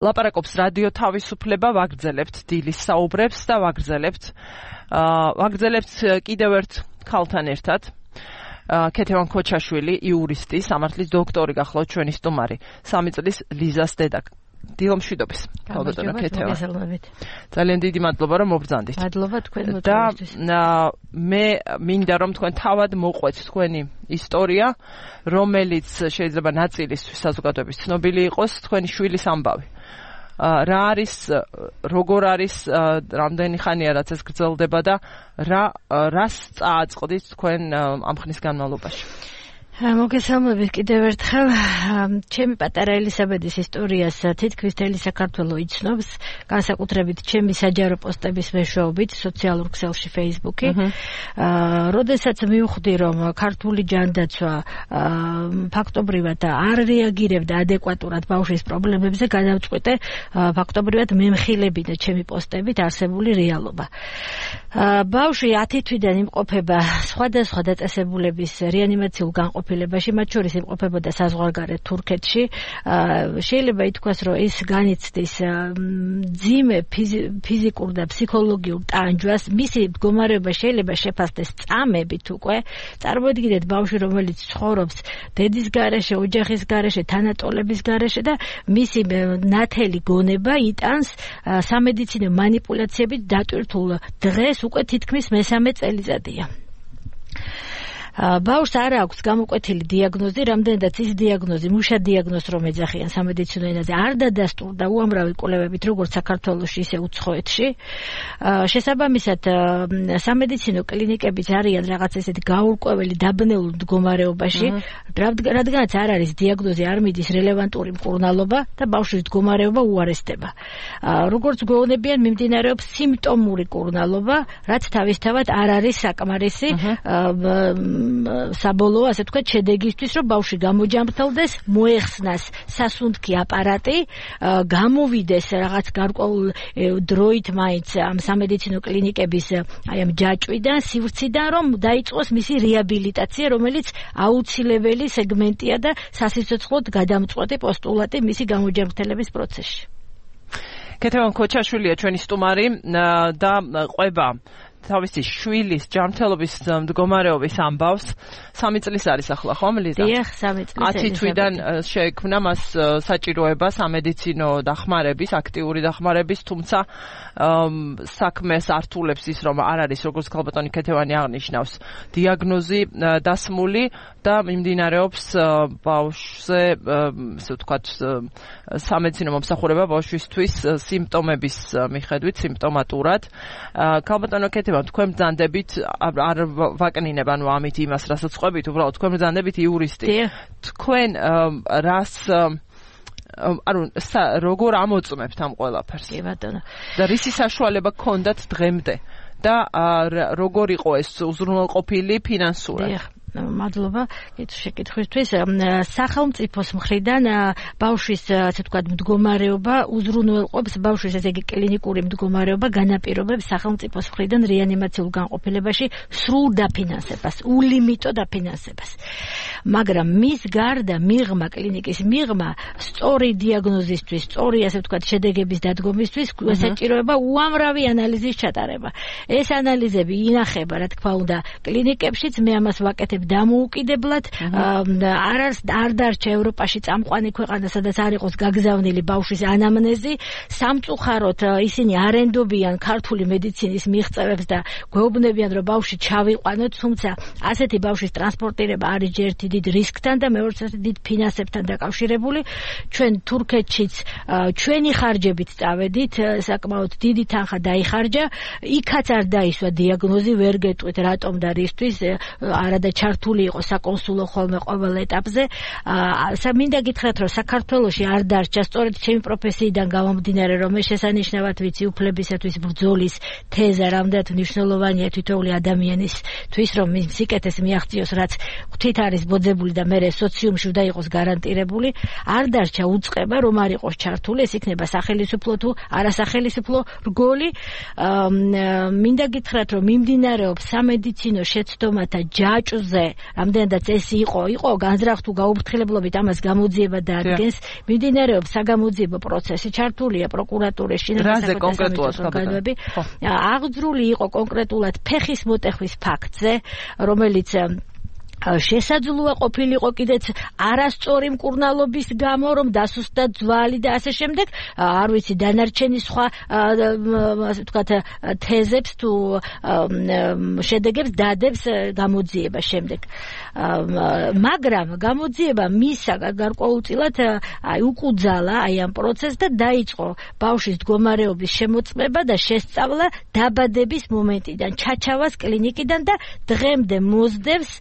ლაპარაკობს რადიო თავისუფლება, ვაგრძელებთ დილის საუბრებს და ვაგრძელებთ კიდევ ერთ ქალთან ერთად. ქეთევან ქოჩაშვილი, იურისტი, სამართლის დოქტორი გახლავთ ჩვენი სტუმარი. 3 წლის ლიზას დედა. დილომშვიდობის. ქალბატონო ქეთევან. ძალიან დიდი მადლობა რომ მობრძანდით. მადლობა თქვენ მოწვევისთვის. და მე მინდა რომ თქვენ თავად მოყვეთ თქვენი ისტორია, რომელიც შეიძლება ნაწილისთვის საზოგადოების ცნობილი იყოს, თქვენი შვილის ამბავი. რა არის, როგორ არის, რამდენი ხანია რაც ეს გრძელდება და რას წააწყდით თქვენ ამ ხნის განმავლობაში? მოგესალმებით კიდევ ერთხელ. ჩემი პატარა ელისაბედის ისტორიას თითქმის მთელი საქართველო იცნობს, განსაკუთრებით ჩემი საჯარო პოსტების მეშვეობით სოციალურ ქსელში Facebook-ი. როდესაც მივხვდი, რომ ქართული ჯანდაცვა ფაქტობრივად არ რეაგირებდა ადეკვატურად ბავშვის პრობლემებზე, გადავწყვიტე ფაქტობრივად მემხილებინა ჩემი პოსტებით არსებული რეალობა. ბავშვი 10 თვიდან იმყოფება სხვადასხვა დაწესებულების რეანიმაციულ განყოფილებაში, მათ შორის იმყოფებოდა საზღვარგარეთ თურქეთში. შეიძლება ითქვას, რომ ის განიცდის მძიმე ფიზიკურ და ფსიქოლოგიურ ტანჯვას. მისი მდგომარეობა შეიძლება შეფასდეს წამებით უკვე. წარმოიდგინეთ ბავშვი, რომელიც ცხოვრობს დედის გარეშე, ოჯახის გარეშე, თანატოლების გარეშე და მისი ნათელი გონება იტანს სამედიცინო მანიპულაციებით დატვირთულ დღეს უკვე თითქმის მესამე წელიწადია. ბავშვს არ აქვს გამოკვეთილი დიაგნოზი, რამდენადაც ის დიაგნოზი, მუშა დიაგნოზს რომ ეძახიან სამედიცინო ენაზე, არ დადასტურდა უამრავი კვლევებით, როგორც საქართველოში, ისე უცხოეთში. შესაბამისად, სამედიცინო კლინიკებიც არიან რაღაც ესეთი გაურკვეველი დაბნეულ მდგომარეობაში, რადგანაც არ არის დიაგნოზი, არ მიდის რელევანტური მკურნალობა და ბავშვის მდგომარეობა უარესდება. როგორც გვეუბნებიან, მიმდინარეობს სიმპტომური მკურნალობა, რაც თავისთავად არ არის საკმარისი საბოლოო, ასე თქვა, შედეგისთვის, რომ ბავშვი გამოჯამრთელდეს, მოეხსნას სასუნთქი აპარატი, გამოვიდეს რაღაც გარკვეულ დროით მაინც ამ სამედიცინო კლინიკების აი ამ ჯაჭვიდან, სივრციდან, რომ დაიწყოს მისი რეაბილიტაცია, რომელიც აუცილებელი სეგმენტია და სასიცოცხლოდ გადამწყვეტი პოსტულატი მისი გამოჯამრთელების პროცესში. ქეთევან ქოჩაშვილია ჩვენი სტუმარი და ყვება თავისი შვილის ჯანმრთელობის მდგომარეობის ამბავს. 3 წლის არის ახლა, ხო, ლიზა? დიახ, 3 წლის. 10 თვიდან შეექმნა მას საჭიროება სამედიცინო დახმარების, აქტიური დახმარების, თუმცა საქმეს ართულებს ის, რომ არ არის, როგორც ქალბატონი ქეთევანი აღნიშნავს, დიაგნოზი დასმული და მიმდინარეობს ბავშვზე, ასე ვთქვათ, სამედიცინო მომსახურება ბავშვისთვის სიმპტომების მიხედვით, სიმპტომატურად. ქალბატონო ქეთევან, თქვენ ბრძანდებით, არ ვაკნინებ, ანუ ამით იმას, რასაც ყვებით, უბრალოდ თქვენ ბრძანდებით იურისტი. თქვენ რას ანუ როგორ ამოწმებთ ამ ყველაფერს? კი ბატონო. და რისი საშუალება გქონდათ დღემდე და როგორ იყო ეს უზრუნველყოფილი ფინანსურად? მადლობა შეკითხვისთვის. სახელმწიფოს მხრიდან ბავშვის, ასე ვთქვათ, მდგომარეობა უზრუნველყოფს ბავშვის, ესე იგი კლინიკური მდგომარეობა განაპირობებს სახელმწიფოს მხრიდან რეანიმაციულ განყოფილებაში სრულ დაფინანსებას, ულიმიტო დაფინანსებას. მაგრამ მის გარდა მიღმა, კლინიკის მიღმა, სწორი დიაგნოზისთვის, სწორი, ასე ვთქვათ, შედეგების დადგომისთვის საჭიროება უამრავი ანალიზის ჩატარება. ეს ანალიზები ინახება, რა თქმა უნდა, კლინიკებშიც, მე ამას ვაკეთებ დამოუკიდებლად, არ დარჩა ევროპაში წამყვანი ქვეყანა, სადაც არ იყოს გაგზავნილი ბავშვის ანამნეზი. სამწუხაროდ ისინი არენდობიან ქართული მედიცინის მიღწევებს და გვეუბნებიან, რომ ბავშვი ჩავიყვანოთ, თუმცა ასეთი ბავშვის ტრანსპორტირება არის ერთი დიდ რისკთან და მეორე დიდ ფინანსებთან დაკავშირებული. ჩვენ თურქეთშიც ჩვენი ხარჯებით წავედით, საკმაოდ დიდი თანხა დაიხარჯა, იქაც არ დაისვა დიაგნოზი, ვერ გეტყვით რატომ და რისთვის, არადა ჩართული იყო საკონსულო ხოლმე ყოველ ეტაპზე. მინდა გითხრათ, რომ საქართველოში არ დარჩა, სწორედ ჩემი პროფესიიდან გამომდინარე, რომ ეს შესანიშნავად ვიცი უფლებისათვის ბრძოლის თეზა რამდენად მნიშვნელოვანია თითოეული ადამიანისთვის, რომ მის სიკეთეს მიაღწიოს, რაც ღვთით არის ბოძებული და მე სოციუმში უნდა იყოს გარანტირებული. არ დარჩა უწყება, რომ არ იყოს ჩართული, ეს იქნება სახელისუფლო თუ არასახელისუფლო რგოლი. მინდა გითხრათ, რომ მიმდინარეობს სამედიცინო შეცდომათა ჯაჭვზე დღე რამდენადაც ეს იყო განზრახ თუ გაუფრთხილებლობით ამას გამოძიება დაადგენს მიმდინარეობს საგამოძიებო პროცესი ჩართულია პროკურატურის რაზე კონკრეტულად განვები აღძრული იყო კონკრეტულად ფეხის მოტეხვის ფაქტზე რომელიც შესაძლოა ყოფილიყო კიდეც არასწორი მკურნალობის გამო რომ დასუსტდა ძვალი და ასე შემდეგ არ ვიცი დანარჩენი სხვა ასე ვთქვათ თეზებს თუ შედეგებს დადებს გამოძიება შემდეგ მაგრამ გამოძიება მისა გარკვეულწილად უკუძალა ამ პროცესს და დაიწყო ბავშვის მდგომარეობის შემოწმება და შესწავლა დაბადების მომენტიდან ჩაჩავას კლინიკიდან და დღემდე მოსდევს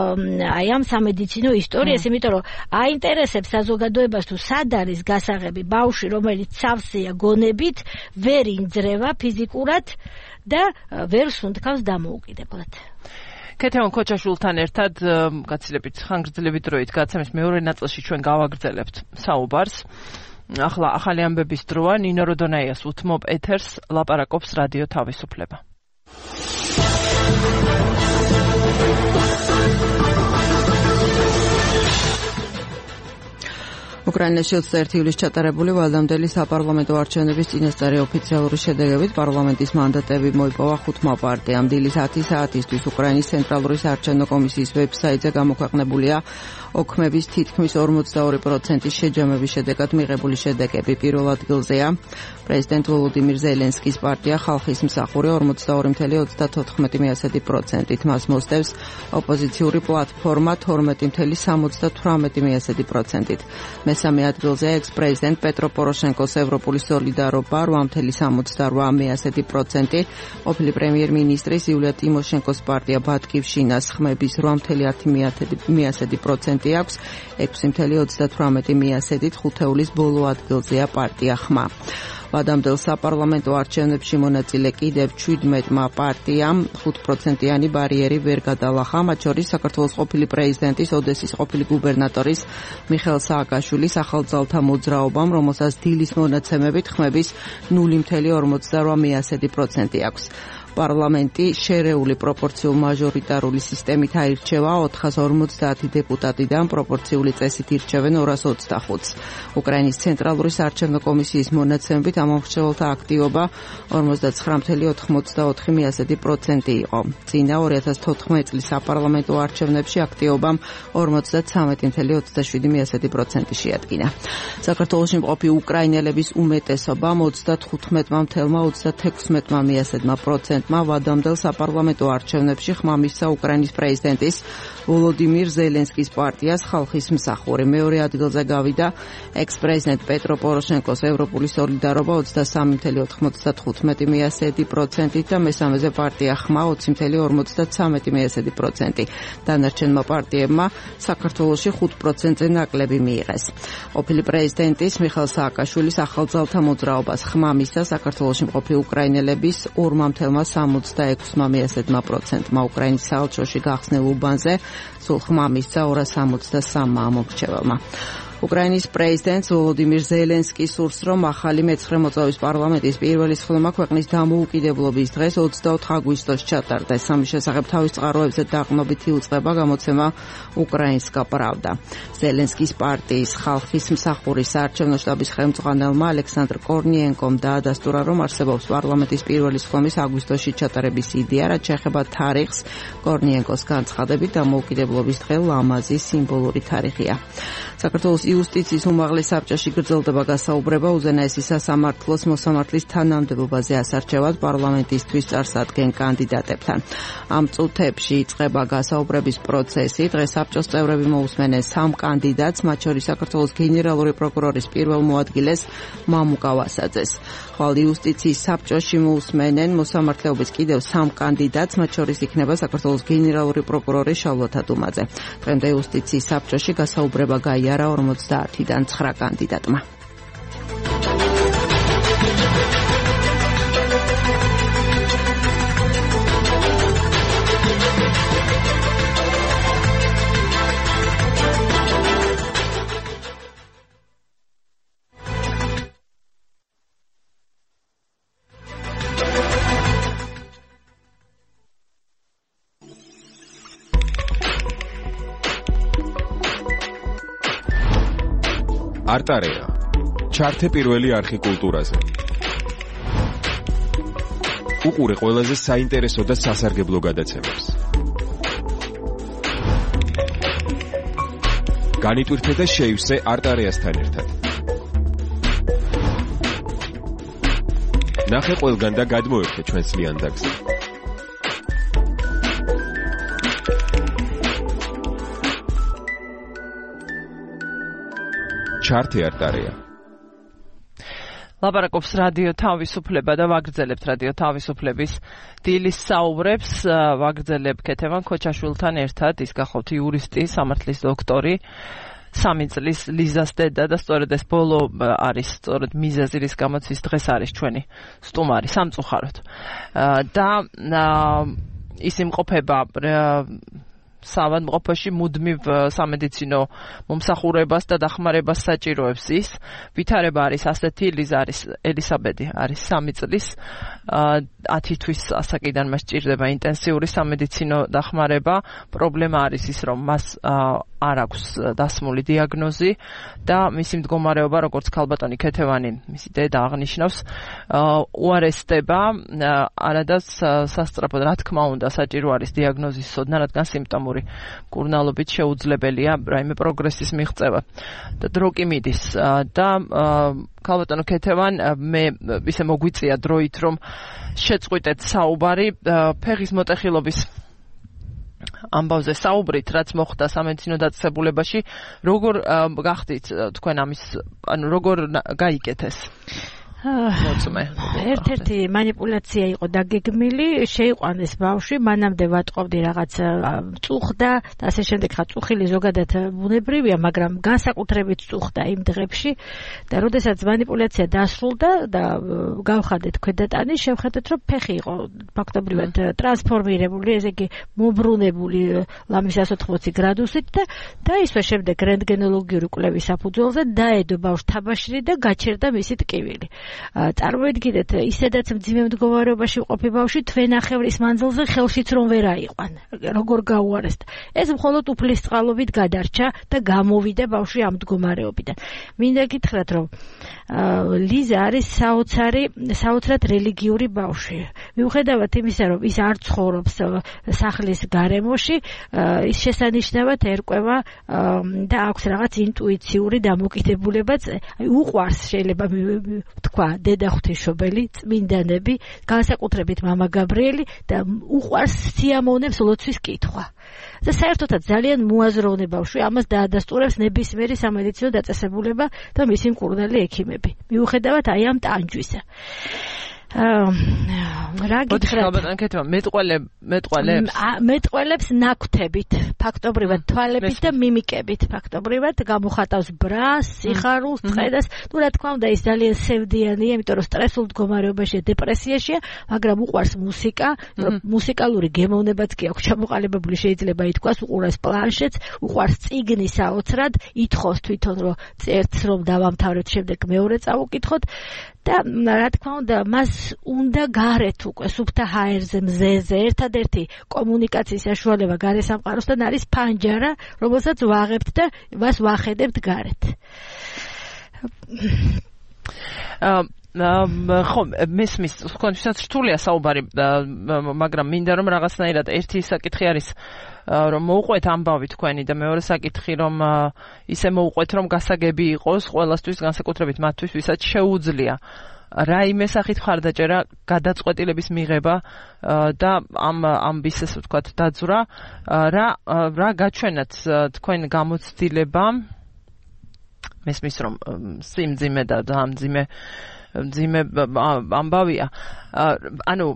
ამ სამედიცინო ისტორიას, იმიტომ რომ აინტერესებს საზოგადოებას თუ სად არის გასაღები ბავშვი, რომელიც სავსეა გონებით, ვერ ინძრევა ფიზიკურად და ვერ სუნთქავს დამოუკიდებლად. ქეთევან ქოჩაშვილთან ერთად გაცილებით ხანგრძლივი დროით გაცემის მეორე ნაწილში ჩვენ გავაგრძელებთ საუბარს. ახლა ახალი ამბების დროა ნინო როდონაიას უთმობ ეთერს ლაპარაკობს რადიო თავისუფლება. უკრაინაში 21 ივლისს ჩატარებული ვალდამდელი საპარლამენტო არჩევნების წინასწარი ოფიციალური შედეგებით პარლამენტის მანდატები მოიპოვა 5 პარტიამ. დილის 10 საათისთვის უკრაინის ცენტრალური საარჩევნო კომისიის ვებსაიტზე გამოქვეყნებულია ოქმების თითქმის 42% შეჯამების შედეგად მიღებული შედეგები. პირველ ადგილზეა პრეზიდენტ ვოლოდიმირ ზელენსკის პარტია ხალხის მსახური 42.34%-ით. მას მოსდევს ოპოზიციური პლატფორმა 12.78%-ით. მესამე ადგილზეა ექს-პრეზიდენტ პეტრო პოროშენკოს ევროპული სოლიდარობა 8.68%, ყოფილი პრემიერ-მინისტრის იულია ტიმოშენკოს პარტია ბატკივშინას ხმების 8.10% აქვს 6.38%-ით, ხუთეულის ბოლო ადგილზეა პარტია ხმა. ვადამდელ საპარლამენტო არჩევნებში მონაწილე კიდევ 17 პარტიამ 5%-იანი ბარიერი ვერ გადალახა, მათ შორის საქართველოს ყოფილი პრეზიდენტის, ოდესის ყოფილი გუბერნატორის მიხეილ სააკაშვილის ახალძალთა მოძრაობამ, რომელსაც დილის მონაცემებით ხმების 0.48% აქვს. პარლამენტი შერეული პროპორციულ მაჟორიტარული სისტემით აირჩევა 450 deputatიდან, პროპორციული წესით ირჩევენ 225-ს. უკრაინის ცენტრალური საარჩევნო კომისიის მონაცემებით ამ მომხრეებელთა აქტივობა 49.84% იყო. წინა 2014 წლის საპარლამენტო არჩევნებში აქტივობამ 53.27% შეადგინა. საქართველოში მყოფი უკრაინელების უმეტესობამ 35.36% ვადამდელ საპარლამენტო არჩევნებში ხმა მისცა უკრაინის პრეზიდენტის ვოლოდიმირ ზელენსკის პარტიას ხალხის მსახური. მეორე ადგილზე გავიდა ექს-პრეზიდენტ პეტრო პოროშენკოს ევროპული სოლიდარობა 23.55%-ით და მესამეზე პარტია ხმა 20.53%. დანარჩენმა პარტიებმა საქართველოში 5%-ზე ნაკლები მიიღეს. ყოფილი პრეზიდენტის მიხეილ სააკაშვილის ახალძალთა მოძრაობას ხმა მისცა საქართველოში მყოფი უკრაინელების 2.66%-მა უკრაინის საელჩოში გახსნილ უბანზე, სულ ხმა მისცა 263 მომრჩეველმა. უკრაინის პრეზიდენტს ვოლოდიმირ ზელენსკის სურს, რომ ახალი მეცხრე მოწვევის პარლამენტის პირველი სხდომა ქვეყნის დამოუკიდებლობის დღეს 24 აგვისტოს ჩატარდეს. ამის შესახებ თავის წყაროებზე დაყრდნობით იუწყება გამოცემა უკრაინსკა პრავდა. ზელენსკის პარტიის ხალხის მსახურის საარჩევნო შტაბის ხელმძღვანელმა ალექსანდრ კორნიენკომ დაადასტურა, რომ არსებობს პარლამენტის პირველი სხდომის აგვისტოში ჩატარების იდეა, რაც შეეხება თარიღს. კორნიენკოს განცხადებით, დამოუკიდებლობის დღე ლამაზი სიმბოლური თარიღია. საქართველოს იუსტიციის უმაღლეს საბჭოში გრძელდება გასაუბრება უზენაესი სასამართლოს მოსამართლის თანამდებობაზე ასარჩევად პარლამენტისთვის წარსადგენ კანდიდატებთან. ამ წუთებში იწყება გასაუბრების პროცესი. დღეს საბჭოს წევრები მოусმენენ 3 კანდიდატს, მათ შორის საქართველოს გენერალური პროკურორის პირველ მოადგილეს მამუკა ვასაძეს. ხვალ იუსტიციის საბჭოში მოусმენენ მოსამართლეობის კიდევ 3 კანდიდატს, მათ შორის იქნება საქართველოს გენერალური პროკურორი შალვა დუმაძე. დღემდე იუსტიციის საბჭოში გასაუბრება გაიარა 50-დან 9 კანდიდატმა. არტარეა. ჩართე პირველი არხი კულტურაზე. უყურე ყველაზე საინტერესო და სასარგებლო გადაცემებს. განიტვირთე და შეივსე არტარეასთან ერთად. ნახე ყველგან და გადმოერთე ჩვენს ლიანდაგზე. ჩართე არტარეა. ლაპარაკობს რადიო თავისუფლება და ვაგრძელებთ რადიო თავისუფლების დილის საუბრებს. ვაგრძელებ ქეთევან ქოჩაშვილთან ერთად. ის გახავთ იურისტი, სამართლის დოქტორი, 3 წლის ლიზას დედა და სწორედ ეს ბოლო არის სწორედ მიზეზი, რის გამოც ის დღეს არის ჩვენი სტუმარი სამწუხაროდ. და ის იმყოფება საავადმყოფოში მუდმივ სამედიცინო მომსახურებას და დახმარებას საჭიროებს ის. ვითარება არის ასეთი, ლიზა არის ელისაბედი არის 3 წლის 10 თვის ასაკიდან მას სჭირდება ინტენსიური სამედიცინო დახმარება. პრობლემა არის ის, რომ მას არ აქვს დასმული დიაგნოზი და მისი მდგომარეობა, როგორც ქალბატონი ქეთევანი, მისი დედა აღნიშნავს, უარესდება. არადა სასწრაფოდ, რა თქმა უნდა, საჭირო არის დიაგნოზის სოდნა, რადგან სიმპტომური მკურნალობით შეუძლებელია რაიმე პროგრესის მიღწევა და დრო კი მიდის. და ქალბატონო ქეთევან, მე ისე მოგვიწია დროით, რომ შეწყვიტეთ საუბარი ფეხის მოტეხილობის ამბავზე საუბრით, რაც მოხდა სამედიცინო დაწესებულებაში. როგორ გახდით თქვენ ამის, ანუ როგორ გაიგეთ ეს? ერთ-ერთი მანიპულაცია იყო დაგეგმილი, შეიყვანეს ბავშვი, მანამდე ვატყობდი რაღაც წუხდა და ასე შემდეგ. ხა წუხილი ზოგადად ბუნებრივია, მაგრამ განსაკუთრებით წუხდა იმ დღებში და როდესაც მანიპულაცია დასრულდა და გავხადეთ ქვედატანი, შევხედეთ, რომ ფეხი იყო ფაქტობრივად ტრანსფორმირებული, ესე იგი მობრუნებული ლამის 180 გრადუსით და ისე შემდეგ რენტგენოლოგიური კვლევის საფუძველზე დაედო ბავშვ თაბაშირი და გაჩერდა მისი ტკივილი. წარმოიდგინეთ, ისედაც მძიმე მდგომარეობაში ყოფი ბავშვი თვენახევრის მანძილზე ხელშიც რომ ვერ აიყვან, როგორ გაუარესდა. ეს მხოლოდ უფლის წყალობით გადარჩა და გამოვიდა ბავშვი ამ მდგომარეობიდან. მინდა გითხრათ, რომ ლიზა არის საოცრად რელიგიური ბავშვი. მიუხედავად იმისა, რომ ის არ ცხოვრობს სახლის გარემოში, ის შესანიშნავად ერკვევა და აქვს რაღაც ინტუიციური დამოკიდებულებაც, უყვარს შეიძლება თქვა დედა ღვთისმშობელი, წმინდანები, განსაკუთრებით მამა გაბრიელი და უყვარს სიამოვნებს ლოცვის კითხვა. და საერთოდაც ძალიან მოაზროვნე ბავშვი, ამას დაადასტურებს ნებისმიერი სამედიცინო დაწესებულება და მისი მკურნალი ექიმები. მიუხედავად აი ამ ტანჯვისა. რა გითხრათ? მეტყველებს ნაკვთებით, ფაქტობრივად თვალებით და მიმიკებით, ფაქტობრივად გამოხატავს ბრას, სიხარულს, წყედას. ნუ რა თქმა უნდა, ის ძალიან სევდიანია, იმიტომ რომ სტრესულ მდგომარეობაშია, დეპრესიაშია, მაგრამ უყვარს მუსიკა, მუსიკალური გემოვნებაც კი აქვს ჩამოყალიბებული, შეიძლება ითქვას, უყურებს პლანშეტს, უყვარს წიგნი საოცრად, ითხოვს თვითონ, რომ ერთს რომ დავამთავრეთ, შემდეგ მეორე წავუკითხოთ. და რა თქმა უნდა, მას უნდა გარეთ უკვე სუფთა ჰაერზე, მზეზე ერთადერთი კომუნიკაციის საშუალება გარე სამყაროსთან არის ფანჯარა, რომელსაც ვაღებთ და მას ვახედებთ გარეთ. ხო, მესმის, თქვენთვისაც რთულია საუბარი, მაგრამ მინდა რომ რაღაცნაირად ერთი საკითხი არის, რომ მოუყვეთ ამბავი თქვენი და მეორე საკითხი, რომ ისე მოუყვეთ, რომ გასაგები იყოს ყველასთვის, განსაკუთრებით მათთვის, ვისაც შეუძლია რაიმე სახით მხარდაჭერა, გადაწყვეტილების მიღება და ამბის, ესე ვთქვათ, დაძვრა. რა გაჩვენათ თქვენ გამოცდილება? მესმის, რომ სიმძიმე და მძიმე ამბავია. ანუ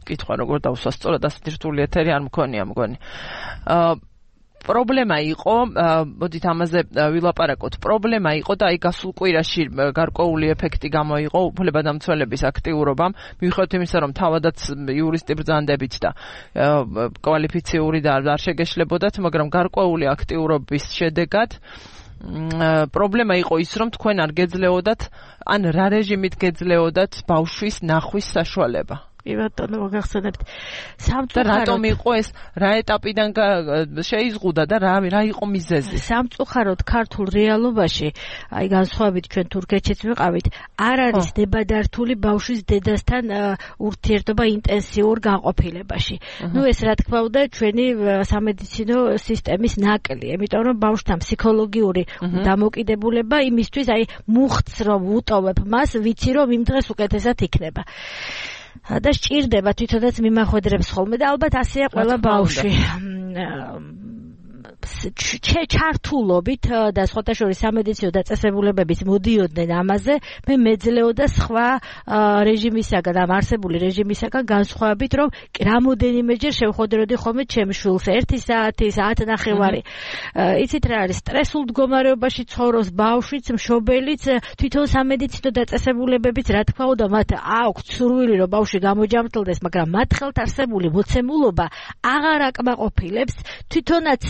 კითხვა როგორ დავსვა სწორად, ასეთი რთული ეთერი არ მქონია მგონი. პრობლემა იყო, მოდით ამაზე ვილაპარაკოთ. პრობლემა იყო და აი გასულ კვირაში გარკვეული ეფექტი გამოიღო უფლებადამცველების აქტიურობამ, მიუხედავად იმისა, რომ თავადაც იურისტი ბრძანდებით და კვალიფიციური და არ შეგეშლებოდათ, მაგრამ გარკვეული აქტიურობის შედეგად პრობლემა იყო ის, რომ თქვენ არ გეძლეოდათ, ან რა რეჟიმით გეძლეოდათ ბავშვის ნახვის საშუალება. კი ბატონო, მოგახსენებთ. რატომ იყო ეს, რა ეტაპიდან შეიზღუდა და რა იყო მიზეზი? სამწუხაროდ ქართულ რეალობაში, აი განსხვავებით ჩვენ თურქეთშიც ვიყავით, არ არის დებადართული ბავშვის დედასთან ურთიერთობა ინტენსიურ განყოფილებაში. ეს რა თქმა უნდა ჩვენი სამედიცინო სისტემის ნაკლი, იმიტომ რომ ბავშვთან ფსიქოლოგიური დამოკიდებულება იმისთვის, აი მუხტს რომ უტოვებ მას, ვიცი რომ იმ დღეს უკეთესად იქნება. და სჭირდება თვითონაც მიმახვედრებს ხოლმე და ალბათ ასეა ყველა ბავშვი. ჩართულობით და სხვათა შორის სამედიცინო დაწესებულებებით მოდიოდნენ ამაზე, მე მეძლეო და სხვა რეჟიმისაგან, ამ არსებული რეჟიმისაგან განსხვავებით, რომ რამოდენიმეჯერ შევხვდროდი ხოლმე ჩემს შვილს 1 საათი, საათნახევარი. იცით რა არის, სტრესულ მდგომარეობაში ცხოვრობს ბავშვიც, მშობელიც, თვითონ სამედიცინო დაწესებულებებიც, რა თქმა უნდა, მათ აქვთ სურვილი, რომ ბავშვი გამოჯამრთელდეს, მაგრამ მათ ხელთ არსებული მოცემულობა აღარ აკმაყოფილებს, თვითონაც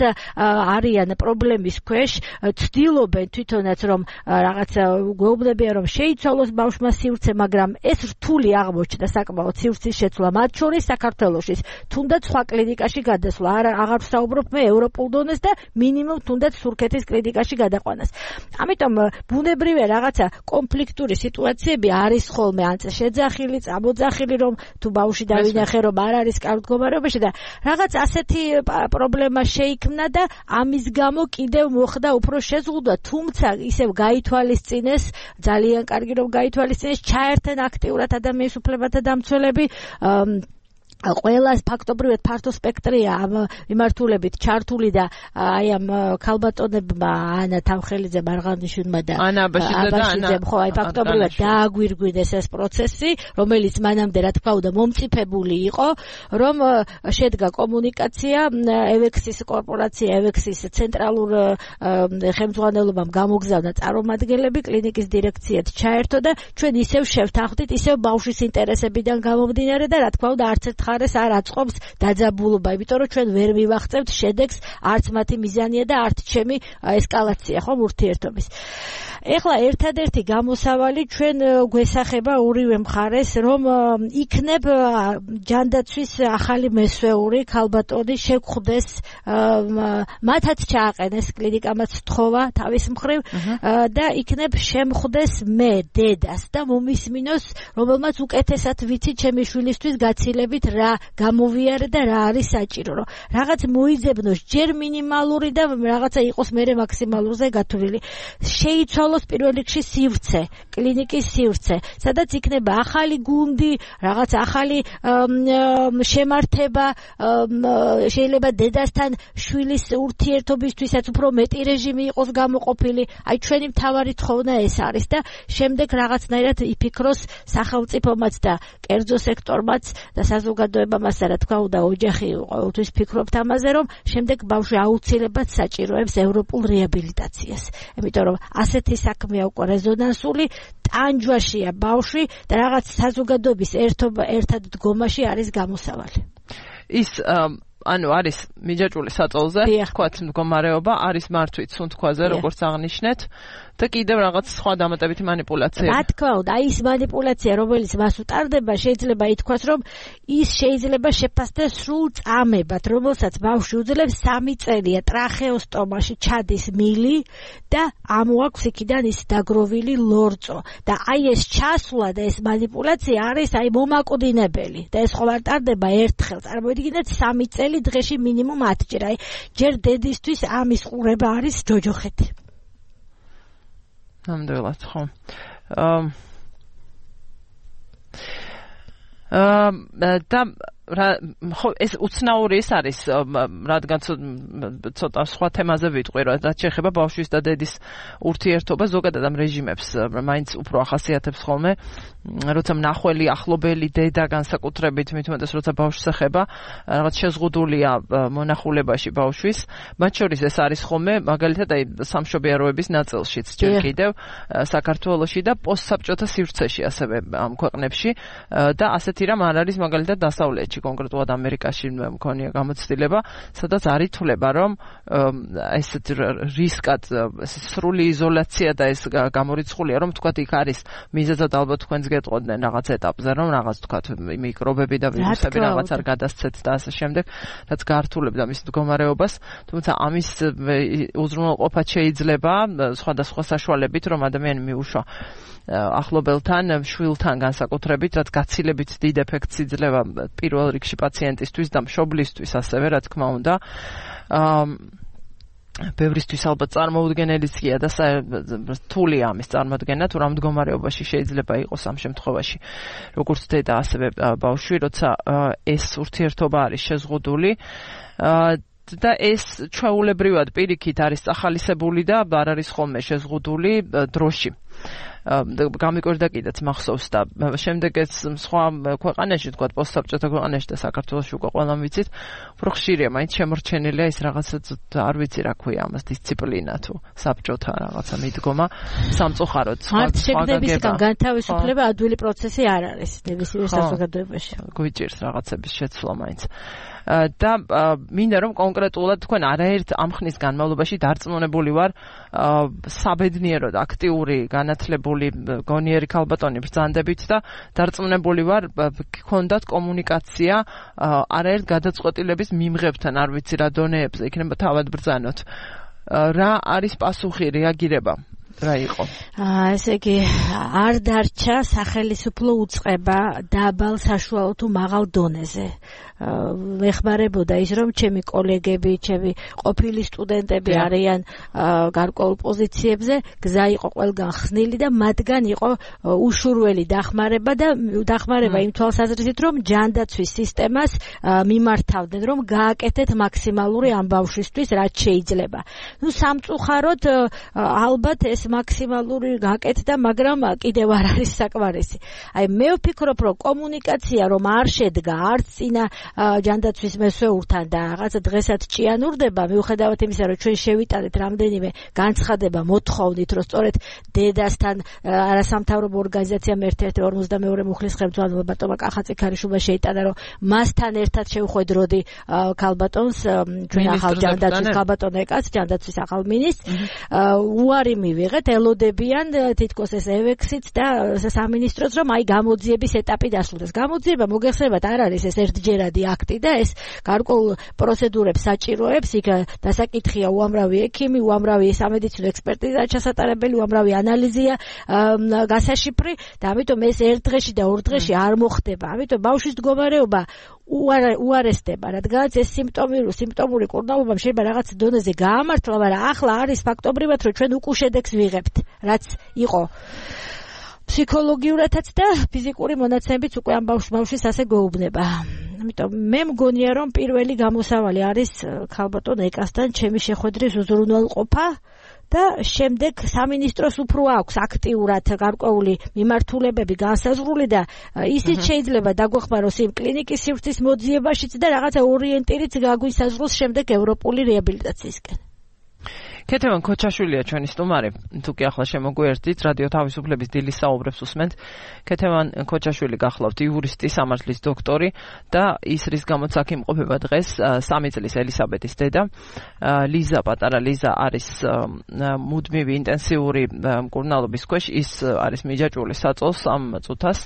არიან პრობლემის ქვეშ, ცდილობენ თვითონაც რომ რაღაცა გვეუბნებიან რომ შეიცვალოს ბავშვმა სივრცე, მაგრამ ეს რთული აღმოჩნდა საკმაოდ სივრცის შეცვლა, მათ შორის საქართველოში, თუნდაც სხვა კლინიკაში გადასვლა, აღარ ვსაუბრობ მე ევროპულ დონეს და მინიმუმ თუნდაც თურქეთის კლინიკაში გადაყვანას. ამიტომ ბუნებრივია რაღაცა კონფლიქტური სიტუაციები არის ხოლმე, ან შეძახილი, წამოძახილი, რომ თუ ბავშვი დავინახე რომ არ არის კარგ მდგომარეობაში და რაღაც ასეთი პრობლემა შეიქმნა და ამის გამო კიდევ მოხდა უფრო შეზღუდვა, თუმცა ისევ გაითვალისწინეს, ძალიან კარგი რომ გაითვალისწინეს, ჩაერთენ აქტიურად ადამიანის უფლებათა დამცველები, ყველა ფაქტობრივად ფართო სპექტრია ამ მიმართულებით ჩართული და აი ამ ქალბატონებმა ანა თავხელიძე, მარღანიშვილმა და აბაშიძემ ხო აი ფაქტობრივად დააგვირგვინეს ეს პროცესი, რომელიც მანამდე რა თქმა უნდა მომწიფებული იყო, რომ შედგა კომუნიკაცია, ევექსის კორპორაცია, ევექსის ცენტრალურ ხელმძღვანელობამ გამოგზავნა წარმომადგენლები, კლინიკის დირექციაც ჩაერთო და ჩვენ ისევ შევთანხმდით, ისევ ბავშვის ინტერესებიდან გამომდინარე და რა თქმა უნდა არც ერთ ხარეს არ აწყობს დაძაბულობა, იმიტომ რომ ჩვენ ვერ მივახცევთ შედეგს, არც მათი მიზანია და არც ჩემი ესკალაცია ხომ ურთიერთობის. ეხლა ერთადერთი გამოსავალი ჩვენ გვესახება ორივე მხარეს, რომ იქნებ ჯანდაცვის ახალი მესვეული ქალბატონი შეგხვდეს, მათაც ჩააყენეს კლინიკამაც თხოვა თავის მხრივ და იქნებ შემხვდეს მე დედას და მომისმინოს, რომელმაც უკეთესად ვიცი ჩემი შვილისთვის გაცილებით რა გამოვიარე და რა არის საჭირო, რომ რაღაც მოიძებნოს ჯერ მინიმალური და რაღაცა იყოს მერე მაქსიმალურზე გათვლილი. შეიცვალოს პირველ რიგში სივრცე, კლინიკის სივრცე, სადაც იქნება ახალი გუნდი, რაღაც ახალი შემართება, შეიძლება დედასთან შვილის ურთიერთობისთვისაც უფრო მეტი რეჟიმი იყოს გამოყოფილი. აი ჩვენი მთავარი თხოვნა ეს არის და შემდეგ რაღაცნაირად იფიქროს სახელმწიფომაც და კერძო სექტორმაც და საზოგადოებამაც რა თქმა უნდა ოჯახი ყოველთვის ფიქრობთ ამაზე, რომ შემდეგ ბავშვი აუცილებლად საჭიროებს ევროპულ რეაბილიტაციას. იმიტომ რომ ასეთი საქმეა უკვე რეზონანსული, ტანჯვაშია ბავშვი და რაღაც საზოგადოების ერთად დგომაში არის გამოსავალი. ის ანუ არის მიჯაჭვული საწოლზე, თქვათ მდგომარეობა, არის მართვით სუნთქვაზე, როგორც აღნიშნეთ და კიდევ რაღაც სხვა დამატებითი მანიპულაცია. რა თქმა უნდა, აი ის მანიპულაცია, რომელიც მას უტარდება, შეიძლება ითქვას, რომ ის შეიძლება შეფასდეს სრულ წამებად, რომელსაც ბავშვი უძლებს 3 წელია ტრახეოსტომაში ჩადის მილი და ამოაქვს იქიდან ის დაგროვილი ლორწო. და აი ეს ჩასვლა და ეს მანიპულაცია არის აი მომაკვდინებელი და ეს ხო არ ტარდება ერთხელ. წარმოიდგინეთ 3 წელი დღეში მინიმუმ 10 ჯერ. აი ჯერ დედისთვის ამის ყურება არის ჯოჯოხეთი. ნამდვილად ხო. და ხო ეს უცნაური ის არის, რადგან ცოტა სხვა თემაზე ვიტყვი, რაც შეეხება ბავშვის და დედის ურთიერთობა, ზოგადად ამ რეჟიმებს მაინც უფრო ახასიათებს ხოლმე, როცა მნახველი, ახლობელი დედა განსაკუთრებით, მით უმეტეს როცა ბავშვს ეხება, რაღაც შეზღუდულია მონახულებაში ბავშვის, მათ შორის ეს არის ხოლმე, მაგალითად აი სამშობიაროების ნაწილშიც ჯერ კიდევ საქართველოში და პოსტსაბჭოთა სივრცეში ასევე ამ ქვეყნებში და ასეთი რამ არ არის მაგალითად დასავლეთში. შტატში კონკრეტულად ამერიკაში მქონია გამოცდილება, სადაც არ ითვლება, რომ ესეთ რისკად სრული იზოლაცია და ეს გამორიცხულია, რომ თქვათ იქ არის მიზეზად ალბათ თქვენს გეტყოდნენ რაღაც ეტაპზე, რომ რაღაც თქვათ მიკრობები და ვირუსები რაღაც არ გადასცეთ და ასე შემდეგ, რაც გართულებდა მის მდგომარეობას, თუმცა ამის უზრუნველყოფა შეიძლება სხვადასხვა საშუალებით, რომ ადამიანი მიუშვა ახლობელთან, შვილთან განსაკუთრებით, რაც გაცილებით დიდ ეფექტს იძლევა პირველ რიგში პაციენტისთვის და მშობლისთვის ასევე, რა თქმა უნდა. ბევრისთვის ალბათ წარმოუდგენელიც გია და რთულია ამის წარმოდგენა, თუ რა მდგომარეობაში შეიძლება იყოს ამ შემთხვევაში, როგორც დედა, ასევე ბავშვი, როცა ეს ურთიერთობა არის შეზღუდული და ეს ჩვეულებრივად პირიქით არის წახალისებული და არ არის ხოლმე შეზღუდული დროში. გამიკვირდა კიდეც მახსოვს და შემდეგ ეს სხვა ქვეყანაში, თქვათ პოსტსაბჭოთა ქვეყანაში და საქართველოში უკვე ყველამ ვიცით, უფრო ხშირია, მაინც შემორჩენილია ის რაღაცა, არ ვიცი რა ქვია ამას, დისციპლინა თუ საბჭოთა რაღაცა მიდგომა სამწუხაროდ სხვა გაგებისგან განთავისუფლება ადვილი პროცესი არ არის ნებისმიერ საზოგადოებაში. გვიჭირს რაღაცების შეცვლა მაინც. და მინდა რომ კონკრეტულად თქვენ არაერთ ამ ხნის განმავლობაში დარწმუნებული ვარ საბედნიეროდ აქტიური განათლებული გონიერი ქალბატონი ბრძანდებით და დარწმუნებული ვარ გქონდათ კომუნიკაცია არაერთ გადაწყვეტილების მიმღებთან, არ ვიცი რა დონეებზე იქნება თავად ბრძანოთ. რა არის პასუხი, რეაგირება? რა იყო? ესე იგი არ დარჩა სახელმწიფო უწყება დაბალ საშუალო თუ მაღალ დონეზე. მეხმარებოდა ის, რომ ჩემი კოლეგები, ჩემი ყოფილი სტუდენტები არიან გარკვეულ პოზიციებზე, გზა იყო ყველგან ხსნილი და მათგან იყო უშურველი დახმარება იმ თვალსაზრისით, რომ ჯანდაცვის სისტემას მიმართავდნენ, რომ გააკეთეთ მაქსიმალური ამ ბავშვისთვის, რაც შეიძლება. სამწუხაროდ ალბათ ეს მაქსიმალური გაკეთდა, მაგრამ კიდევ არ არის საკმარისი. აი მე ვფიქრობ, რომ კომუნიკაცია რომ არ შედგა არც წინა ჯანდაცვის მესვეურთან და რაღაცა დღესაც ჭიანურდება, მიუხედავად იმისა, რომ ჩვენ შევიტანეთ რამდენიმე განცხადება, მოთხოვნით, რომ სწორედ დედასთან არასამთავრობო ორგანიზაციამ ერთ-ერთი 42 მუხლის ხელმძღვანელმა ბატონმა კახაწიქარიშვილმა შეიტანა, რომ მასთან ერთად შევხვედროდი ქალბატონს, ჩვენ ახალ ჯანდაცვის ქალბატონ ეკაც, ჯანდაცვის ახალ მინისტრს, უარი მივიღეთ, ელოდებიან თითქოს ეს ევექსიც და სამინისტროც, რომ აი გამოძიების ეტაპი დასრულდეს. გამოძიება მოგეხსენებათ არ არის ეს ერთჯერადი აქტი და ეს გარკვეულ პროცედურებს საჭიროებს, იქ დასაკითხია უამრავი ექიმი, უამრავი სამედიცინო ექსპერტიზა ჩასატარებელი, უამრავი ანალიზია გასაშიფრი და ამიტომ ეს ერთ დღეში და ორ დღეში არ მოხდება. ამიტომ ბავშვის მდგომარეობა უარესდება, რადგანაც ეს სიმპტომური კურნალობა შეიძლება რაღაც დონეზე გაამართლა, მაგრამ ახლა არის ფაქტობრივად, რომ ჩვენ უკუ შედეგს ვიღებთ, რაც იყო ფსიქოლოგიურადაც და ფიზიკური მონაცემებით უკვე ამ ბავშვის ასე გვეუბნება. ამიტომ მე მგონია, რომ პირველი გამოსავალი არის ქალბატონ ეკასთან ჩემი შეხვედრის უზრუნველყოფა და შემდეგ სამინისტროს უფრო აქვს აქტიურად გარკვეული მიმართულებები განსაზღვრული და ისიც შეიძლება დაგვეხმაროს იმ კლინიკის სივრცის მოძიებაშიც და რაღაცა ორიენტირიც გაგვისაზღვროს შემდეგ ევროპული რეაბილიტაციისკენ. ქეთევან ქოჩაშვილია ჩვენი სტუმარი, თუ კი ახლა შემოგვიერთდით, რადიო თავისუფლების დილის საუბრებს უსმენთ. ქეთევან ქოჩაშვილი გახლავთ იურისტი, სამართლის დოქტორი და ის რის გამოც აქ იმყოფება დღეს 3 წლის ელისაბედის დედა. პატარა ლიზა არის მუდმივი ინტენსიური მკურნალობის ქვეშ, ის არის მიჯაჭვული საწოლს ამ წუთას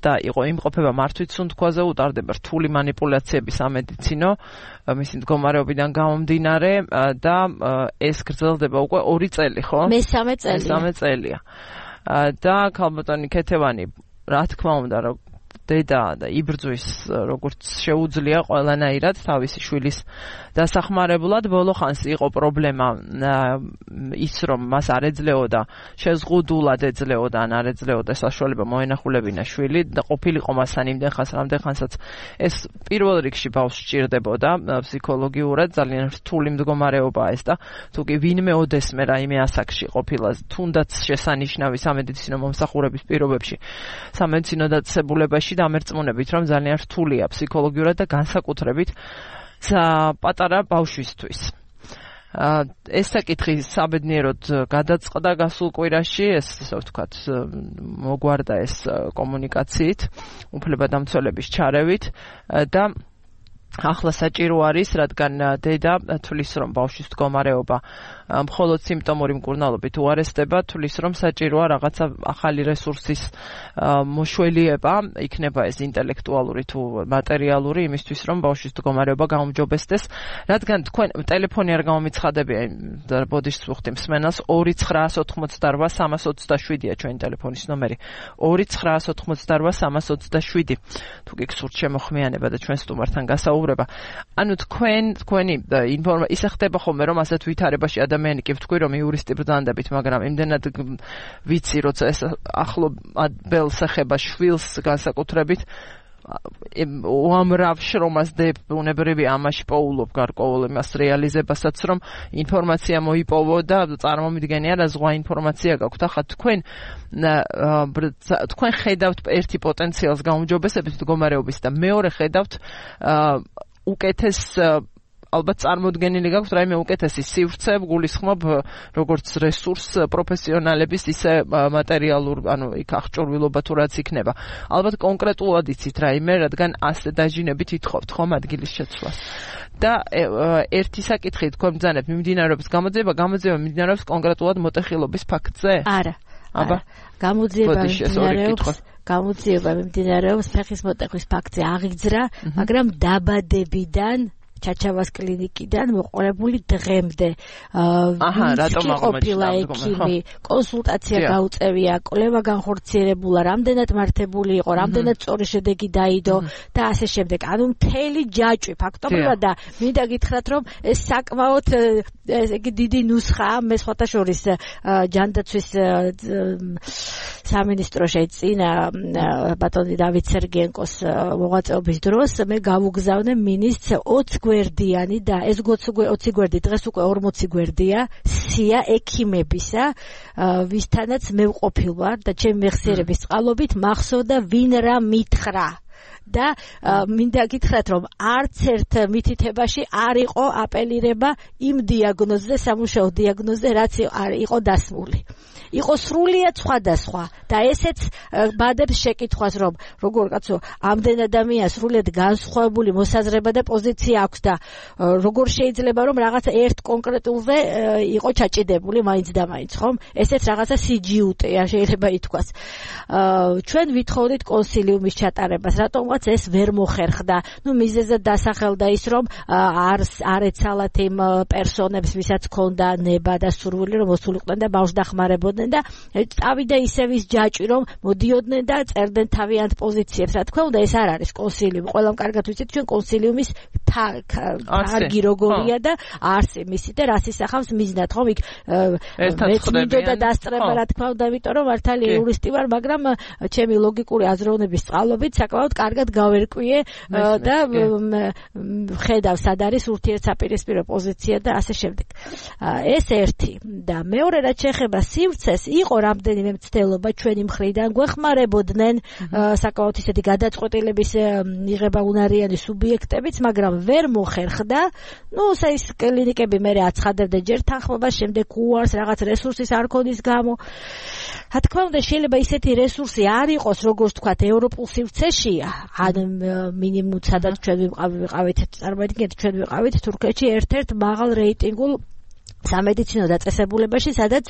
და იმყოფება მართვით სუნთქვაზე, უტარდება რთული манипуляციები სამედიცინო მისი მდგომარეობიდან გამომდინარე და ეს გრძელდება უკვე 2 წელი, ხო? მესამე წელია. და ქალბატონი ქეთევანი, რა თქმა უნდა, რომ დედა და იბრძვის როგორც შეუძლია ყველანაირად თავისი შვილის დასახმარებლად. ბოლო ხანს იყო პრობლემა ის, რომ მას არ ეძლეოდა შეზღუდულად ეძლეოდა ან არ ეძლეოდა საშუალება მოენახულებინა შვილი და ყოფილიყო მასთან იმდენ ხანს, რამდენ ხანსაც ეს პირველ რიგში ბავშვს სჭირდებოდა ფსიქოლოგიურად, ძალიან რთული მდგომარეობაა ეს და თუ კი ვინმე ოდესმე რაიმე ასაკში ყოფილა თუნდაც შესანიშნავი სამედიცინო მომსახურების პირობებში სამედიცინო დაწესებულებაში და ამერწმუნებით, რომ ძალიან რთულია ფსიქოლოგიურად და განსაკუთრებით პატარა ბავშვისთვის. ეს საკითხი საბედნიეროდ გადაწყდა გასულ კვირაში, ეს ასე ვთქვათ, მოგვარდა ეს კომუნიკაციით, უფლებადამცველების ჩარევით და ახლა საჭირო არის, რადგან დედა თulis რომ ბავშვის მდგომარეობა მხოლოდ სიმპტომური მკურნალობით უარესდება, თulis რომ საჭიროა რაღაცა ახალი რესურსის მოშველიება, იქნება ეს ინტელექტუალური თუ მატერიალური, იმისთვის რომ ბავშვის მდგომარეობა გაუმჯობესდეს, რადგან თქვენ ტელეფონი არ გამომიცხადებია, ბოდიშს ვუხდი მსმენელს 2988327-ია ჩვენი ტელეფონის ნომერი, 2988327. თუ გიგსურთ შემოხმიანება და ჩვენ სტუმართან გასაუბრება. ანუ თქვენი ინფორმაცია ისე ხდება ხოლმე, რომ ასეთ ვითარებაში ადამიანი კი ვთქვი, რომ იურისტი ბრძანდებით, მაგრამ იმდენად ვიცი, როცა ეს ახლო ბელს ეხება შვილს განსაკუთრებით, უამრავ შრომას დებ უნებრივი ამაში პოულობ გარკვეულ იმას რეალიზებასაც, რომ ინფორმაცია მოიპოვო და წარმომიდგენია რა ზღვა ინფორმაცია გაქვთ. ახლა თქვენ ხედავთ ერთი პოტენციალს გაუმჯობესების მდგომარეობის და მეორე ხედავთ უკეთეს ალბათ წარმოდგენილი გაქვთ რაიმე უკეთესი სივრცე, გულისხმობ როგორც რესურს პროფესიონალების, ისე მატერიალურ, ანუ იქ აღჭურვილობა თუ რაც იქნება. ალბათ კონკრეტულად იცით რაიმე, რადგან ასე დაჟინებით ითხოვთ ხომ ადგილის შეცვლას. და ერთი საკითხი თქვენ ბრძანებთ მიმდინარეობს გამოძიება მიმდინარეობს კონკრეტულად მოტეხილობის ფაქტზე? არა. აბა, გამოძიება მიმდინარეობს ფეხის მოტეხვის ფაქტზე აღიძრა, მაგრამ დაბადებიდან ჩაჩავას კლინიკიდან მოყოლებული დღემდე რატომ ყოფილა ექიმი, კონსულტაცია გაუწევია, კვლევა განხორციელებულა, რამდენად მართებული იყო, რამდენად სწორი შედეგი დაიდო და ასე შემდეგ. ანუ მთელი ჯაჭვი ფაქტობრივად და მინდა გითხრათ, რომ ეს საკმაოდ დიდი ნუსხაა, მე სხვათა შორის ჯანდაცვის სამინისტრო შეწინა ბატონი დავით სერგიენკოს მოღვაწეობის დროს მე გავუგზავნე მინისტრს 20 გვერდიანი და ეს 20 გვერდი დღეს უკვე 40 გვერდია სია ექიმებისა, ვისთანაც მე ვყოფილ ვარ და ჩემი მეხსიერების წყალობით მახსოვდა ვინ რა მითხრა. და მინდა გითხრათ, რომ არც ერთ მითითებაში არ იყო აპელირება იმ დიაგნოზზე, სამუშაო დიაგნოზზე, რაც იყო დასმული. იყო სრულიად სხვადასხვა და ესეც ბადებს შეკითხვას, რომ როგორ კაცო, ამდენ ადამიანს სრულიად განსხვავებული მოსაზრება და პოზიცია აქვს და როგორ შეიძლება რომ რაღაცა ერთ კონკრეტულზე იყო ჩაჭიდებული მაინც და მაინც, ხომ? ესეც რაღაცა სიჯიუტეა შეიძლება ითქვას. ჩვენ ვითხოვდით კონსილიუმის ჩატარებას, რატომღაც ეს ვერ მოხერხდა. ნუ მიზეზად დასახელდა ის, რომ არ ეცალათ იმ პერსონებს, ვისაც ჰქონდა ნება და სურვილი, რომ მოსულიყვნენ და ბავშვს დახმარებოდნენ და წავიდა ისევ ის ჯაჭვი, რომ მოდიოდნენ და წერდნენ თავიანთ პოზიციებს. რა თქმა უნდა, ეს არ არის კონსილიუმი. ყველამ კარგად ვიცით, ჩვენ კონსილიუმის თარგი როგორია და არსი მისი და რას ისახავს მიზნად, ხომ? იქ მეწმინდოდა დასწრება, რა თქმა უნდა, იმიტომ რომ მართალი იურისტი ვარ, მაგრამ ჩემი ლოგიკური აზროვნების წყალობით საკმაოდ კარგად გავერკვიე და ხედავ სად არის ურთიერთსაპირისპირო პოზიცია და ასე შემდეგ. ეს ერთი და მეორე რაც შეეხება სივრცეს, იყო რამდენიმე მცდელობა ჩვენი მხრიდან, გვეხმარებოდნენ საკმაოდ ისეთი გადაწყვეტილების მიღება უნარიანი სუბიექტებიც, მაგრამ ვერ მოხერხდა. ნუ ეს კლინიკები მე აცხადებდნენ ჯერ თანხმობას, შემდეგ უარს რაღაც რესურსის არ ქონის გამო. რა თქმა უნდა, შეიძლება ისეთი რესურსი არ იყოს, როგორც თქვათ, ევროპულ სივრცეშია, ან მინიმუმ სადაც ჩვენ ვიყავით, წარმოიდგინეთ, ჩვენ ვიყავით თურქეთში ერთ-ერთ მაღალ რეიტინგულ სამედიცინო დაწესებულებაში, სადაც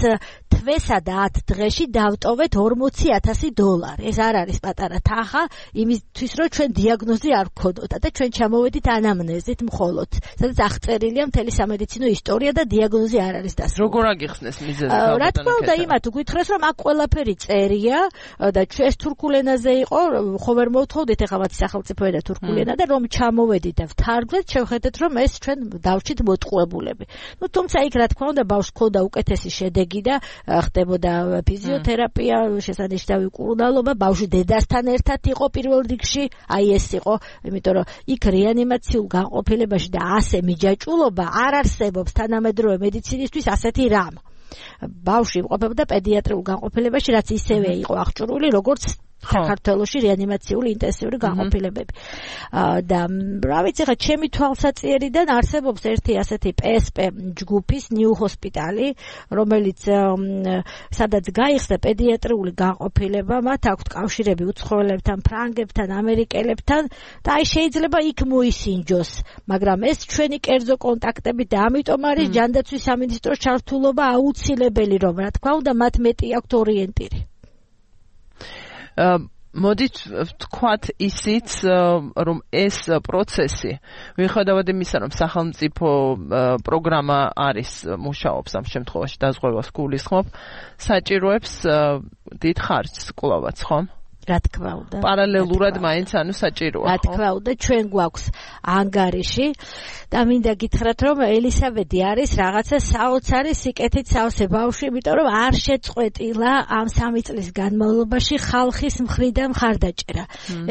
თვესა და 10 დღეში დავტოვეთ $40,000. ეს არ არის პატარა თანხა, იმისთვის რომ ჩვენ დიაგნოზი არ ვქონოთ და ჩვენ ჩამოვედით ანამნეზით მხოლოდ, სადაც აღწერილია მთელი სამედიცინო ისტორია და დიაგნოზი არ არის დასრულებული. როგორ აგიხსნეს მიზეზი? რა თქმა უნდა, იმათ გითხრეს, რომ აქ ყველაფერი წერია და ჩვენ თურქულ ენაზე იყო, ხო ვერ მოვთხოვდით ახლა მათი სახელმწიფო ენა თურქული ენა და რომ ჩამოვედით და ვთარგმნეთ, შევხედეთ, რომ ეს ჩვენ დავრჩით მოტყუებულები. ნუ თუმცა იქ რა თქმა უნდა ბავშვს ჰქონდა უკეთესი შედეგი და ხდებოდა ფიზიოთერაპია, შესანიშნავი მკურნალობა, ბავშვი დედასთან ერთად იყო პირველ რიგში, აი ეს იყო, იმიტომ რომ იქ რეანიმაციულ განყოფილებაში და ასე მიჯაჭულობა არ არსებობს თანამედროვე მედიცინისთვის ასეთი რამ. ბავშვი იმყოფებოდა პედიატრიულ განყოფილებაში, რაც ისევე იყო აღჭურვილი, როგორც საქართველოში რეანიმაციული ინტენსიური განყოფილებები. და რა ვიცი, ხა ჩემი თვალსაჩინიდან არსებობს ერთი ასეთი PSP ჯგუფის New Hospital-ი, რომელიც სადაც გაიხსნა პედიატრიული განყოფილება, მათ აქვთ კავშირები უცხოელებთან, ფრანგებთან, ამერიკელებთან და აი შეიძლება იქ მოისინჯოს, მაგრამ ეს ჩვენი კერძო კონტაქტები და ამიტომ არის ჯანდაცვის სამინისტროს ჩართულობა აუცილებელი, რომ რა თქმა უნდა მათ მეტი აქვთ ორიენტირი. მოდით ვთქვათ ისიც, რომ ეს პროცესი, მიუხედავად იმისა, რომ სახელმწიფო პროგრამა არის, მუშაობს ამ შემთხვევაში დაზღვევას გულისხმობ, საჭიროებს დიდ ხარჯს კვლავაც, ხო? რა თქმა უნდა. პარალელურად მაინც საჭიროა. რა თქმა უნდა, ჩვენ გვაქვს ანგარიში და მინდა გითხრათ, რომ ელისაბედი არის რაღაცა საოცარი სიკეთით სავსე ბავშვი, იმიტომ რომ არ შეწყვეტილა ამ 3 წლის განმავლობაში ხალხის მხრიდან მხარდაჭერა.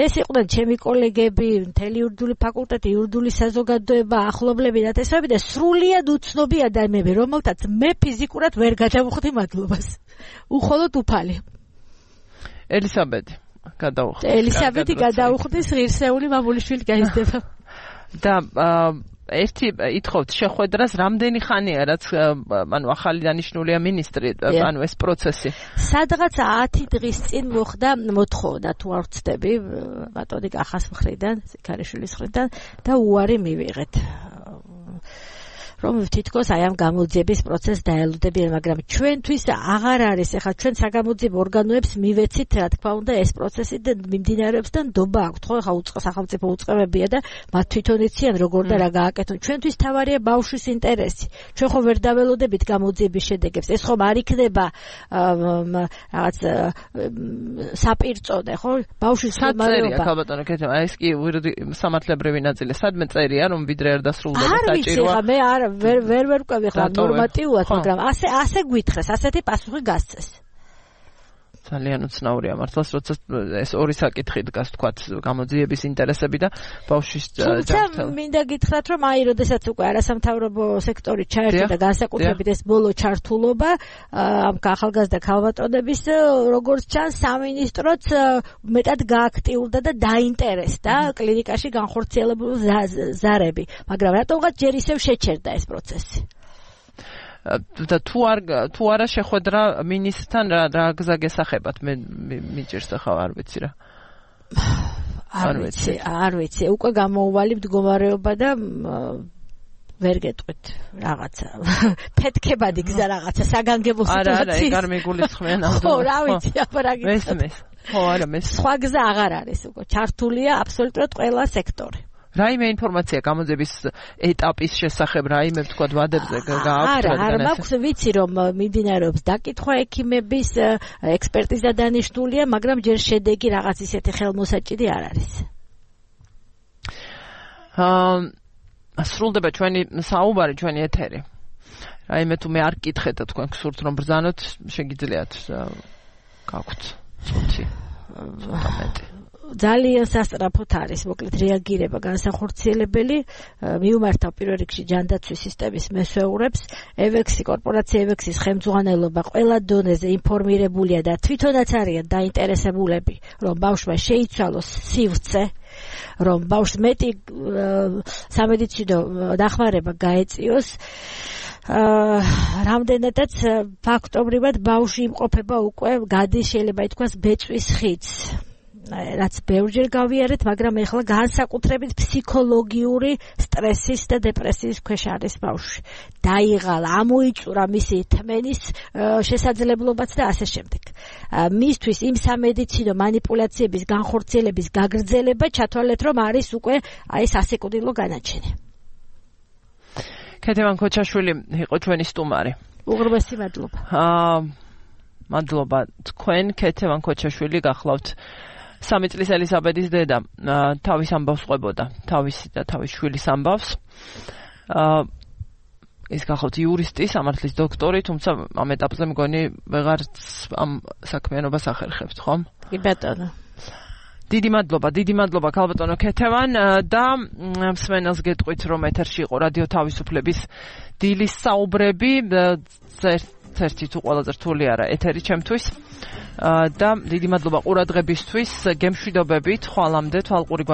ეს იყვნენ ჩემი კოლეგები, მთელი იურიდიული ფაკულტეტი, იურიდიული საზოგადოება, ახლობლები და თესავები და სრულიად უცნობი ადამიანები, რომელთაც მე ფიზიკურად ვერ გადავუხდი მადლობას. უხოლოდ უფალი. ელისაბედი გადაუხდის ღირსეული მამულიშვილი გაიზრდება. და ერთი ითხოვთ შეხვედრას რამდენი ხანია, რაც ანუ ახალი დანიშნულია მინისტრი, ანუ ეს პროცესი. სადღაც 10 დღის წინ მოხდა მოთხოვნა, თუ არ ვცდები, ბატონი კახას მხრიდან, სიქარიშვილის მხრიდან და უარი მივიღეთ. რომ თითქოს აი ამ გამოძიების პროცესს დაელოდებიან, მაგრამ ჩვენთვის აღარ არის, ახლა ჩვენ საგამოძიებო ორგანოებს მივეცით, რა თქმა უნდა, ეს პროცესი მიმდინარეობს და ნდობა აქვთ, ხო, ახლა სახელმწიფო უწყებებია და მათ თვითონ იციან როგორ და რა გააკეთონ. ჩვენთვის თავარია ბავშვის ინტერესი. ჩვენ ხო ვერ დაველოდებით გამოძიების შედეგებს. ეს ხომ არ იქნება რაღაც საპირწონე, ხო? ბავშვის მდგომარეობა. ქალბატონო კეთება, ეს კი სამართლებრივი ნაწილი. სადმე წერია, რომ ვიდრე არ დასრულდება საჭიროა. მე არ ვერ ვკვევი ხა ნორმატიულად, მაგრამ ასე გვითხრეს, ასეთი პასუხი გასცეს. ძალიან უცნაურია მართლაც, როცა ეს ორი საკითხი დგას, თქვათ, გამოძიების ინტერესები და ბავშვის ჯანმრთელობა. მინდა გითხრათ, რომ აი, როდესაც უკვე არასამთავრობო სექტორი ჩაერთო და განსაკუთრებით ეს ბოლო ჩართულობა ამ ახალგაზრდა ქალბატონების, როგორც ჩანს, სამინისტროც მეტად გააქტიურდა და დაინტერესდა კლინიკაში განხორციელებული ზარები, მაგრამ რატომღაც ჯერ ისევ შეჩერდა ეს პროცესი. და თუ არა შეხვედრა მინისტრთან რა გზა გესახებათ, მე მიჭირს ახლა არ ვიცი რა. არ ვიცი, უკვე გამოუვალი მდგომარეობა და ვერ გეტყვით რაღაცა. ფეთქებადი გზა რაღაცა საგანგებო სიტუაციის. არა, ეგ არ მიგულისხმენ ამ. ხო, რა ვიცი, აბა რა გიცნობ. მესმის. ხო, არა, მესმის. სხვა გზა აღარ არის უკვე. ჩართულია აბსოლუტურად ყველა სექტორი. რაიმე ინფორმაცია გამოძიების ეტაპის შესახებ, რაიმე ვთქვათ ვადებზე გააქვთ? არა, მაქვს ვიცი, რომ მიმდინარეობს დაკითხვა ექიმების, ექსპერტიზა დანიშნულია, მაგრამ ჯერ შედეგი რაღაც ისეთი ხელმოსაჭირი არ არის. სრულდება ჩვენი საუბარი, ჩვენი ეთერი. რაიმე თუ მე არ გკითხეთ და თქვენ გსურთ რომ ბრძანოთ, შეგიძლიათ გაქვთ წუთი. ძალიან სასწრაფოდ არის, მოკლედ რეაგირება განსახორციელებელი, მიუმართავ პირველ რიგში ჯანდაცვის სისტემის მესვეურებს, ევექსი, კორპორაცია ევექსის ხელმძღვანელობა ყველა დონეზე ინფორმირებულია და თვითონაც არიან დაინტერესებულები, რომ ბავშვმა შეიცვალოს სივრცე, რომ ბავშვს მეტი სამედიცინო დახმარება გაეწიოს. რამდენადაც ფაქტობრივად ბავშვი იმყოფება უკვე გადის, შეიძლება ითქვას, ბეწვის ხიდს. რაც ბევრჯერ გავიარეთ, მაგრამ ეხლა განსაკუთრებით ფსიქოლოგიური სტრესის და დეპრესიის ქვეშ არის ბავშვი. დაიღალა, ამოიწურა მისი თმენის შესაძლებლობაც და ასე შემდეგ. მისთვის იმ სამედიცინო манипуляციების განხორციელების გაგრძელება ჩათვალეთ, რომ არის უკვე აი სასიკვდილო განაჩენი. ქეთევან ქოჩაშვილი იყო ჩვენი სტუმარი. უღრმესი მადლობა. მადლობა თქვენ, ქეთევან ქოჩაშვილი გახლავთ. 3 წლის ელისაბედის დედა თავის ამბავს ყვებოდა, თავისი და თავის შვილის ამბავს. ის გახლავთ იურისტი, სამართლის დოქტორი, თუმცა ამ ეტაპზე მგონი ვეღარც ამ საქმიანობას ახერხებთ, ხო? კი ბატონო. დიდი მადლობა ქალბატონო ქეთევან და მსმენელს გეტყვით, რომ ეთერში იყო რადიო თავისუფლების დილის საუბრები, ერთი თუ ყველაზე რთული არა ეთერი ჩემთვის. და დიდი მადლობა ყურადღებისთვის. გემშვიდობებით, ხვალამდე თვალყური